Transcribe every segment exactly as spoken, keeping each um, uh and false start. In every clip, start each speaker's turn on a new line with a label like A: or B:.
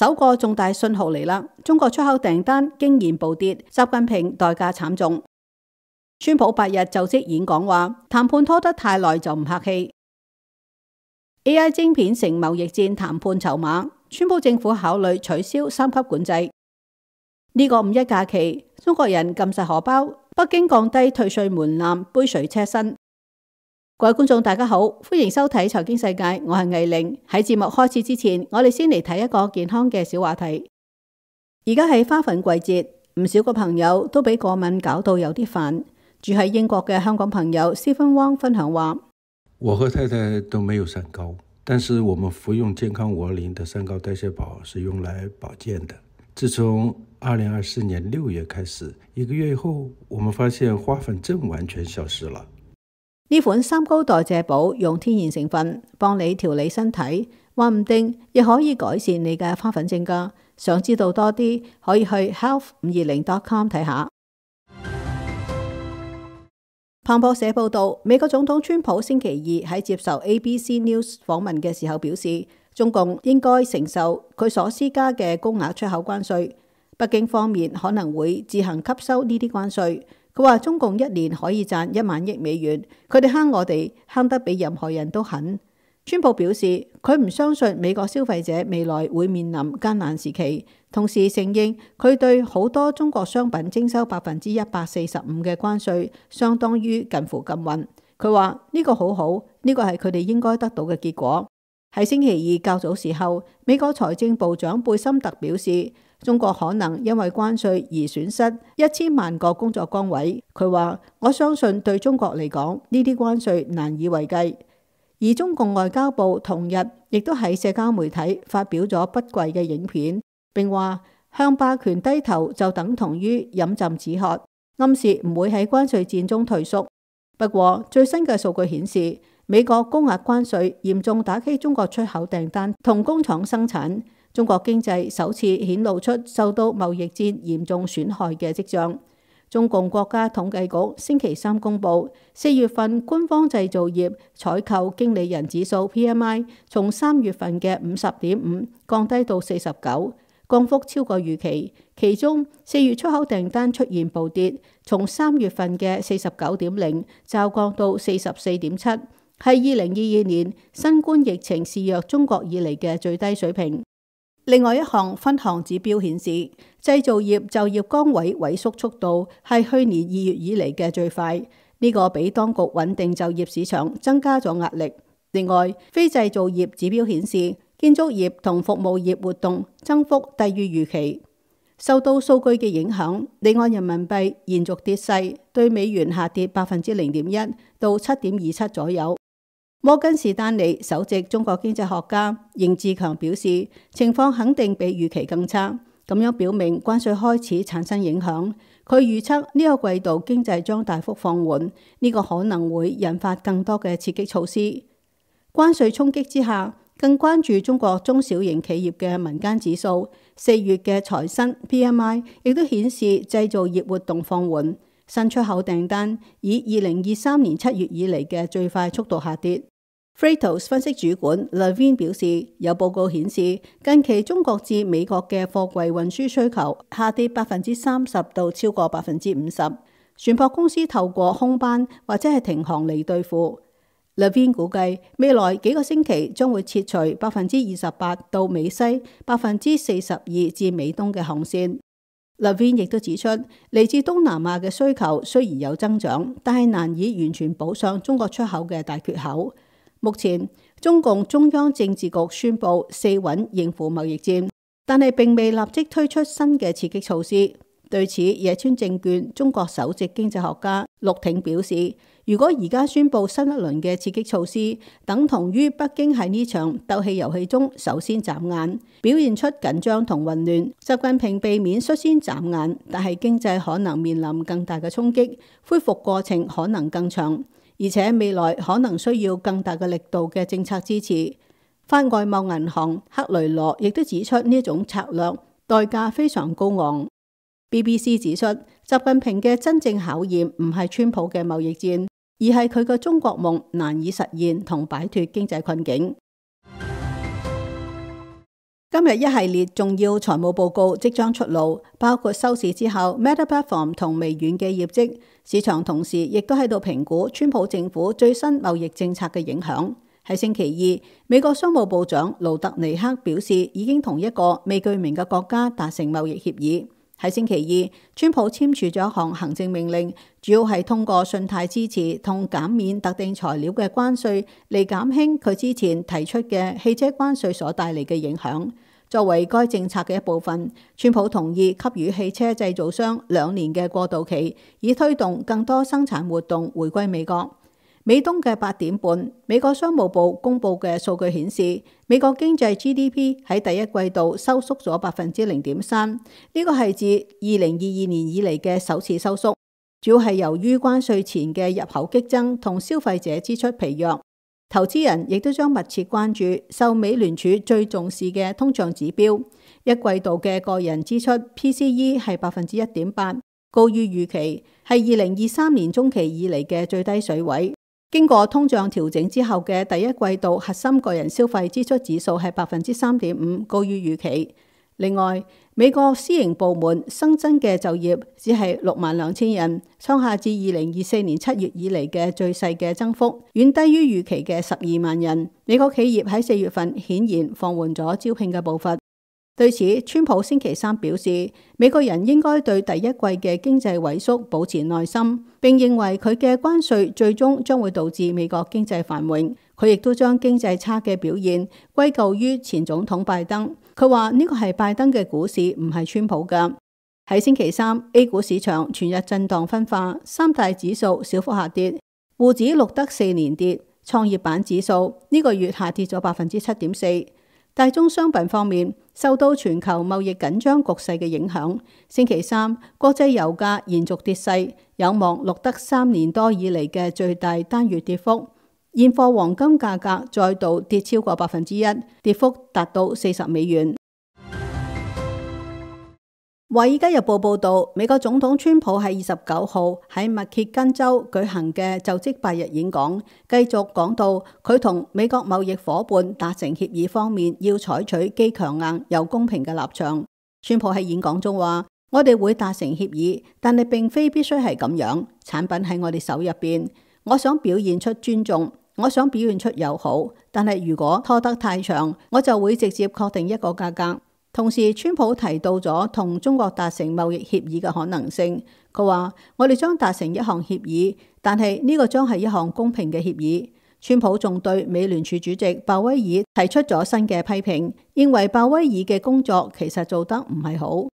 A: 首個重大信號嚟啦，中國出口訂單驚然暴跌，習近平代價慘重。川普八日就職演講話，談判拖得太耐就唔客氣。A I 晶片成貿易戰談判籌碼，川普政府考慮取消三級管制。呢個五一假期，中國人撳實荷包，北京降低退稅門檻，杯水車薪。各位觀眾大家好，歡迎收睇財經世界，我係魏玲。喺節目開始之前，我哋先嚟睇一個健康嘅小話題。而家係花粉季節，唔少個朋友都俾過敏搞到有啲煩。住喺英國嘅香港朋友 Stephen Wong 分享話：
B: 我和太太都沒有三高，但是我們服用健康五二零的三高代謝寶是用來保健的。自從二零二四年六月開始，一個月後，我們發現花粉症完全消失了。
A: 呢款三高代謝寶用天然成分幫你調理身體，話唔定亦可以改善你嘅花粉症㗎。想知道多啲，可以去 health 五二零 dot com 睇下。彭博社報道，美國總統川普星期二喺接受 A B C News 訪問嘅時候表示，中共應該承受佢所施加嘅高額出口關稅，北京方面可能會自行吸收呢啲關稅。佢話中共一年可以賺一萬億美元，佢哋坑我哋坑得比任何人都狠。川普表示佢唔相信美國消費者未來會面臨艱難時期，同時承認佢對好多中國商品徵收百分之一百四十五嘅關稅，相當於近乎禁運。佢話呢個好好，呢個係佢哋應該得到嘅結果。喺星期二較早時候，美國財政部長貝森特表示，中國可能因為關稅而損失一千萬個工作崗位。佢話：我相信對中國嚟講，呢啲關稅難以為繼。而中共外交部同日亦都喺社交媒體發表咗不貴嘅影片，並話向霸權低頭就等同於飲鴆止渴，暗示唔會喺關稅戰中退縮。不過最新嘅數據顯示，美國高額關稅嚴重打擊中國出口訂單同工廠生產，中國經濟首次顯露出受到貿易戰嚴重損害嘅跡象。中共國家統計局星期三公布，四月份官方製造業採購經理人指數 P M I 從三月份嘅五十點五降低到四十九，降幅超過預期。其中四月出口訂單出現暴跌，從三月份嘅四十九點零驟降到四十四點七，係二零二二年新冠疫情肆虐中國以嚟嘅最低水平。另外一項分項指標顯示，製造業就業崗位萎縮速度係去年二月以嚟嘅最快，呢、這個俾當局穩定就業市場增加咗壓力。另外，非製造業指標顯示，建築業同服務業活動增幅低於預期。受到數據嘅影響，離岸人民幣延續跌勢，對美元下跌百分之零點一到七點二七左右。摩根士丹利首席中國經濟學家邢志強表示，情況肯定比預期更差，咁樣表明關稅開始產生影響。佢預測呢個季度經濟將大幅放緩，呢個可能會引發更多嘅刺激措施。關稅衝擊之下，更關注中國中小型企業嘅民間指數，四月嘅財新 P M I 亦都顯示製造業活動放緩，新出口訂單以二零二三年七月以嚟嘅最快速度下跌。Freightos 分析主管 Levine 表示，有報告顯示，近期中國至美國嘅貨櫃運輸需求下跌百分之三十到超過百分之五十，船舶公司透過空班或者係停航嚟對付。Levine 估計未來幾個星期將會撤除百分之二十八到美西、百分之四十二至美東嘅航線。Levine 亦都指出，嚟自東南亞嘅需求雖然有增長，但係難以完全補上中國出口嘅大缺口。目前，中共中央政治局宣布四穩應付貿易戰，但係並未立即推出新嘅刺激措施。對此，野村證券中國首席經濟學家陸挺表示，如果而家宣布新一輪嘅刺激措施，等同於北京喺呢場鬥氣遊戲中首先眨眼，表現出緊張同混亂。習近平避免率先眨眼，但係經濟可能面臨更大嘅衝擊，恢復過程可能更長。而且未來可能需要更大嘅力度嘅政策支持。法外貿銀行克雷羅亦都指出呢種策略代價非常高昂。B B C 指出，習近平嘅真正考驗唔係川普嘅貿易戰，而係佢嘅中國夢難以實現同擺脫經濟困境。今日一系列重要財務報告即將出爐，包括收市之後 Meta Platform 同微軟嘅業績。市場同時亦都喺度評估川普政府最新貿易政策嘅影響。喺星期二，美國商務部長盧特尼克表示已經同一個未具名嘅國家達成貿易協議。喺星期二，川普簽署咗一項行政命令，主要係通過信貸支持同減免特定材料嘅關稅嚟減輕佢之前提出嘅汽車關稅所帶嚟嘅影響。作為該政策嘅一部分，川普同意給予汽車製造商兩年嘅過渡期，以推動更多生產活動回歸美國。美東嘅八點半，美國商務部公佈嘅數據顯示，美國經濟 G D P 喺第一季度收縮咗百分之零點三，呢個係自二零二二年以嚟嘅首次收縮，主要係由於關稅前嘅入口激增同消費者支出疲弱。投資人亦都將密切關注受美聯儲最重視嘅通脹指標，一季度嘅個人支出 P C E 係百分之一點八，高於預期，係二零二三年中期以嚟嘅最低水位。經過通脹調整之後嘅第一季度核心個人消費支出指數係百分之三點五，高於預期。另外，美國私營部門新增嘅就業只係六萬兩千人，創下自二零二四年七月以嚟嘅最細嘅增幅，遠低於預期嘅十二萬人。美國企業喺四月份顯然放緩咗招聘嘅步伐。對此，川普星期三表示，美國人應該對第一季嘅經濟萎縮保持耐心，並認為佢嘅關稅最終將會導致美國經濟繁榮。佢亦都將經濟差嘅表現歸咎於前總統拜登。佢話呢個係拜登嘅股市，唔係川普㗎。喺星期三 ，A 股市場全日震盪分化，三大指數小幅下跌，滬指錄得四連跌，創業板指數呢個月下跌咗百分之七點四。大宗商品方面，受到全球貿易緊張局勢嘅影響，星期三國際油價延續跌勢，有望錄得三年多以嚟嘅最大單月跌幅。現貨黃金價格再度跌超過百分之一，跌幅達到四十美元。華爾街日報報道，美國總統川普喺二十九號喺密歇根州舉行嘅就職八日演講，繼續講到佢同美國貿易夥伴達成協議方面要採取既強硬又公平嘅立場。川普喺演講中話：我哋會達成協議，但係並非必須係咁樣。產品喺我哋手入邊，我想表現出尊重，我想表現出友好，但係如果拖得太長，我就會直接確定一個價格。同時，川普提到咗同中國達成貿易協議嘅可能性。佢話：我哋將達成一項協議，但係呢個將係一項公平嘅協議。川普仲對美聯儲主席鮑威爾提出咗新嘅批評，認為鮑威爾嘅工作其實做得唔係好。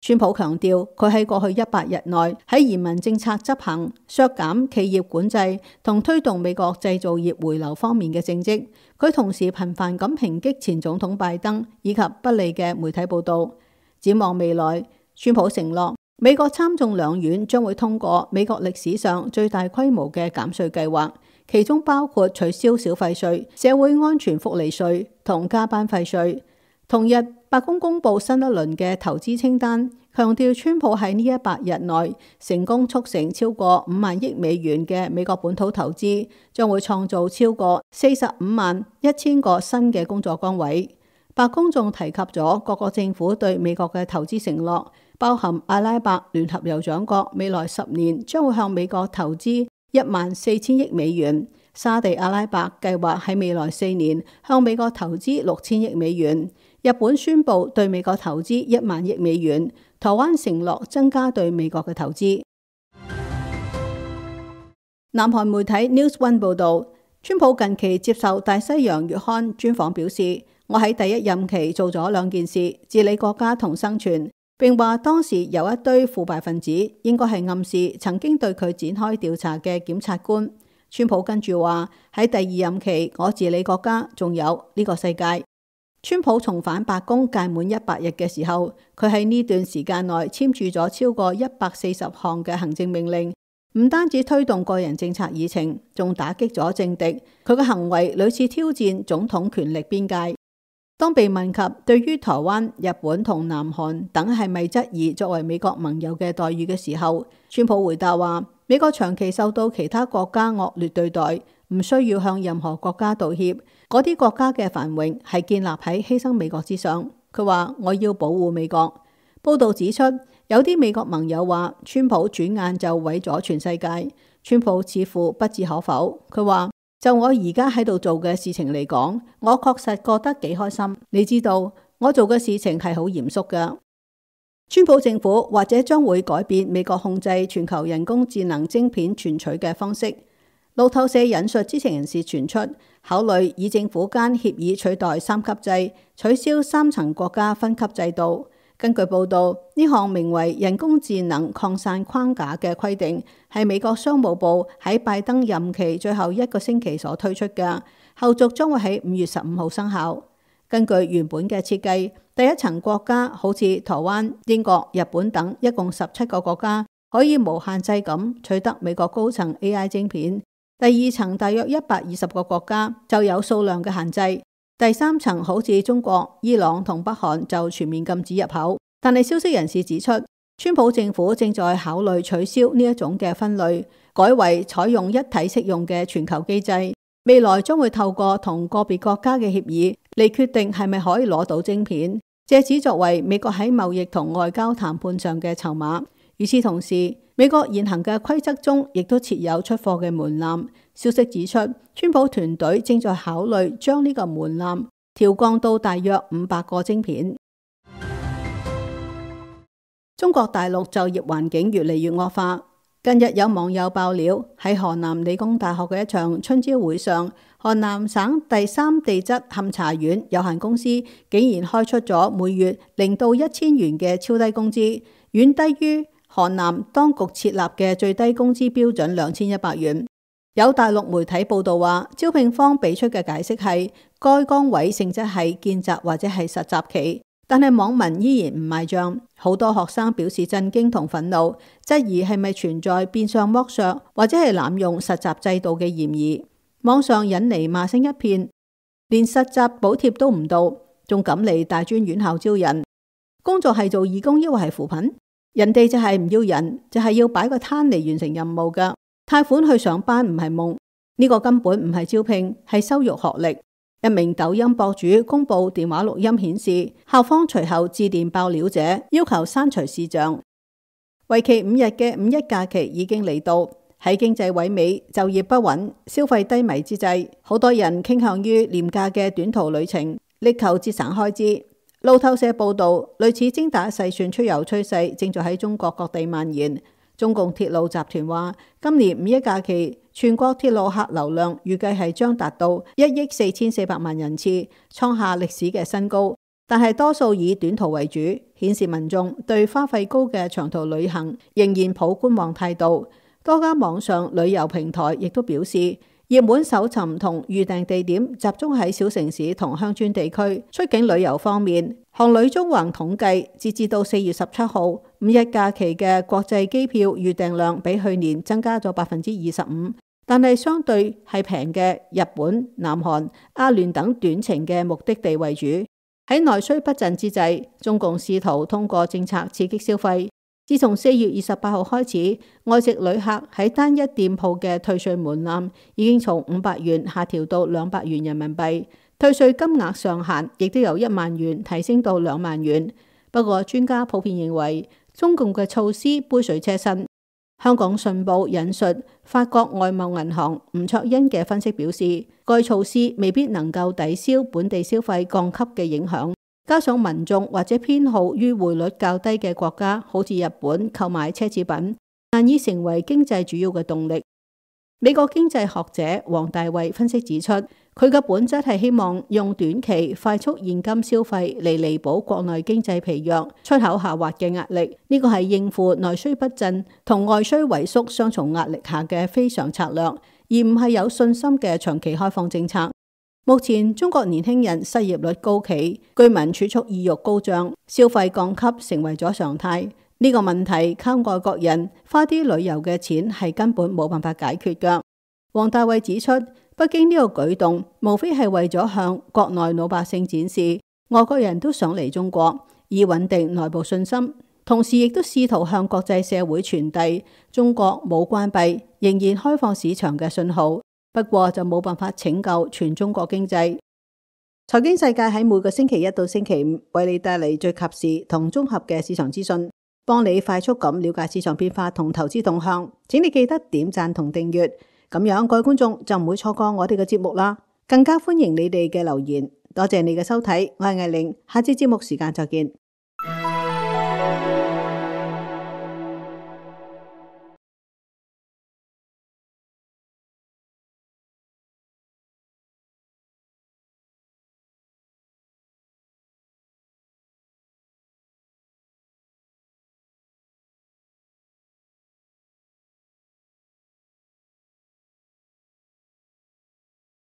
A: 川普強調，佢喺過去一百日內喺移民政策執行、削減企業管制同推動美國製造業回流方面嘅政績。佢同時頻繁咁抨擊前總統拜登以及不利嘅媒體報導。展望未來，川普承諾美國參眾兩院將會通過美國歷史上最大規模嘅減稅計劃，其中包括取消小費稅、社會安全福利稅同加班費稅。同日，白宮公布新一輪嘅投資清單，強調川普喺呢一百日內成功促成超過五萬億美元嘅美國本土投資，將會創造超過四十五萬一千個新嘅工作崗位。白宮仲提及咗各個政府對美國嘅投資承諾，包含阿拉伯聯合酋長國未來十年將會向美國投資一萬四千億美元，沙地阿拉伯計劃喺未來四年向美國投資六千億美元。日本宣布對美國投資一萬億美元，台灣承諾增加對美國嘅投資。南韓媒體 News One 報道，川普近期接受大西洋月刊專訪表示，我喺第一任期做咗兩件事：治理國家同生存。並話當時有一堆腐敗分子，應該係暗示曾經對佢展開調查嘅檢察官。川普跟住話喺第二任期，我治理國家，仲有呢個世界。川普重返白宮屆滿一百日嘅時候，佢喺呢段時間內簽署咗超過一百四十項嘅行政命令，唔單止推動個人政策議程，仲打擊咗政敵。佢嘅行為屢次挑戰總統權力邊界。當被問及對於台灣、日本同南韓等係咪質疑作為美國盟友嘅待遇嘅時候，川普回答話：美國長期受到其他國家惡劣對待，唔需要向任何國家道歉。嗰啲國家嘅繁榮係建立喺犧牲美國之上。佢話我要保護美國。報道指出，有啲美國盟友話川普轉眼就毀咗全世界。川普似乎不置可否，佢話就我而家喺度做嘅事情嚟講，我確實覺得幾開心。你知道我做嘅事情係好嚴肅㗎。川普政府或者將會改變美國控制全球人工智能晶片存取嘅方式。路透社引述知情人士傳出，考慮以政府間協議取代三級制，取消三層國家分級制度。根據報道，呢項名為人工智能擴散框架嘅規定，係美國商務部喺拜登任期最後一個星期所推出嘅，後續將會喺五月十五號生效。根據原本嘅設計，第一層國家好似台灣、英國、日本等，一共十七個國家可以無限制咁取得美國高層 A I 晶片。第二層大約一百二十個國家就有數量嘅限制。第三層好似中國、伊朗同北韓就全面禁止入口。但係消息人士指出，川普政府正在考慮取消呢一種嘅分類，改為採用一體適用嘅全球機制。未來將會透過同個別國家嘅協議嚟決定係咪可以攞到晶片，借此作為美國喺貿易同外交談判上嘅籌碼。與此同時，美國現行嘅規則中亦都設有出貨嘅門檻。消息指出，川普團隊正在考慮將呢個門檻調降到大約五百個晶片。中國大陸就業環境越嚟越惡化。近日有網友爆料，喺河南理工大學嘅一場春招會上，河南省第三地質勘查院有限公司竟然開出咗每月零到一千元嘅超低工資，遠低於河南當局設立嘅最低工資標準兩千一百元。有大陸媒體報道話，招聘方俾出嘅解釋係該崗位性質係見習或者係實習期，但係網民依然唔買賬。好多學生表示震驚同憤怒，質疑係咪存在變相剝削或者係濫用實習制度嘅嫌疑。網上引嚟罵聲一片，連實習補貼都唔到，仲敢嚟大專院校招人？工作係做義工抑或係扶貧？人哋就係唔要人，就係要擺個攤嚟完成任務㗎。貸款去上班唔係夢，呢個根本唔係招聘，係羞辱學歷。一名抖音博主公布電話錄音顯示，校方隨後致電爆料者，要求刪除視像。為期五日嘅五一假期已經嚟到，喺經濟萎靡、就業不穩、消費低迷之際，好多人傾向於廉價嘅短途旅程，力求節省開支。路透社報道，類似精打細算出遊趨勢正在喺中國各地蔓延。中共鐵路集團話，今年五一假期全國鐵路客流量預計係將達到一億四千四百萬人次，創下歷史嘅新高。但係多數以短途為主，顯示民眾對花費高嘅長途旅行仍然抱觀望態度。多家網上旅遊平台亦都表示，熱門搜尋同預訂地點集中喺小城市同鄉村地區。出境旅遊方面，航旅中橫統計，截至到四月十七號，五一假期嘅國際機票預訂量比去年增加咗百分之二十五，但係相對係平嘅日本、南韓、阿聯等短程嘅目的地為主。喺內需不振之際，中共試圖通過政策刺激消費。自從四月二十八號開始，外籍旅客喺單一店鋪嘅退稅門檻已經從五百元下調到兩百元人民幣，退稅金額上限亦都由一萬元提升到兩萬元。不過專家普遍認為，中共嘅措施杯水車薪。香港信報引述法國外貿銀行吳卓恩嘅分析表示，該措施未必能夠抵消本地消費降級嘅影響。加上民眾或者偏好於匯率較低嘅國家，好似日本購買奢侈品，難以成為經濟主要嘅動力。美國經濟學者黃大衛分析指出，佢嘅本質係希望用短期快速現金消費嚟彌補國內經濟疲弱、出口下滑嘅壓力。呢個係應付內需不振同外需萎縮雙重壓力下嘅非常策略，而唔係有信心嘅長期開放政策。目前中國年輕人失業率高企，居民儲蓄意欲高漲，消費降級成為咗常態。呢個問題靠外國人花啲旅遊嘅錢係根本冇辦法解決㗎。黃大衛指出，北京呢個舉動無非係為咗向國內老百姓展示，外國人都想嚟中國，以穩定內部信心，同時亦都試圖向國際社會傳遞中國冇關閉，仍然開放市場嘅信號。不過就冇辦法拯救全中國經濟。財經世界喺每個星期一到星期五為你帶嚟最及時同綜合嘅市場資訊，幫你快速咁了解市場變化同投資動向。請你記得點讚同訂閱，咁樣各位觀眾就唔會錯過我哋嘅節目啦。更加歡迎你哋嘅留言。多謝你嘅收睇，我係艾玲，下次節目時間再見。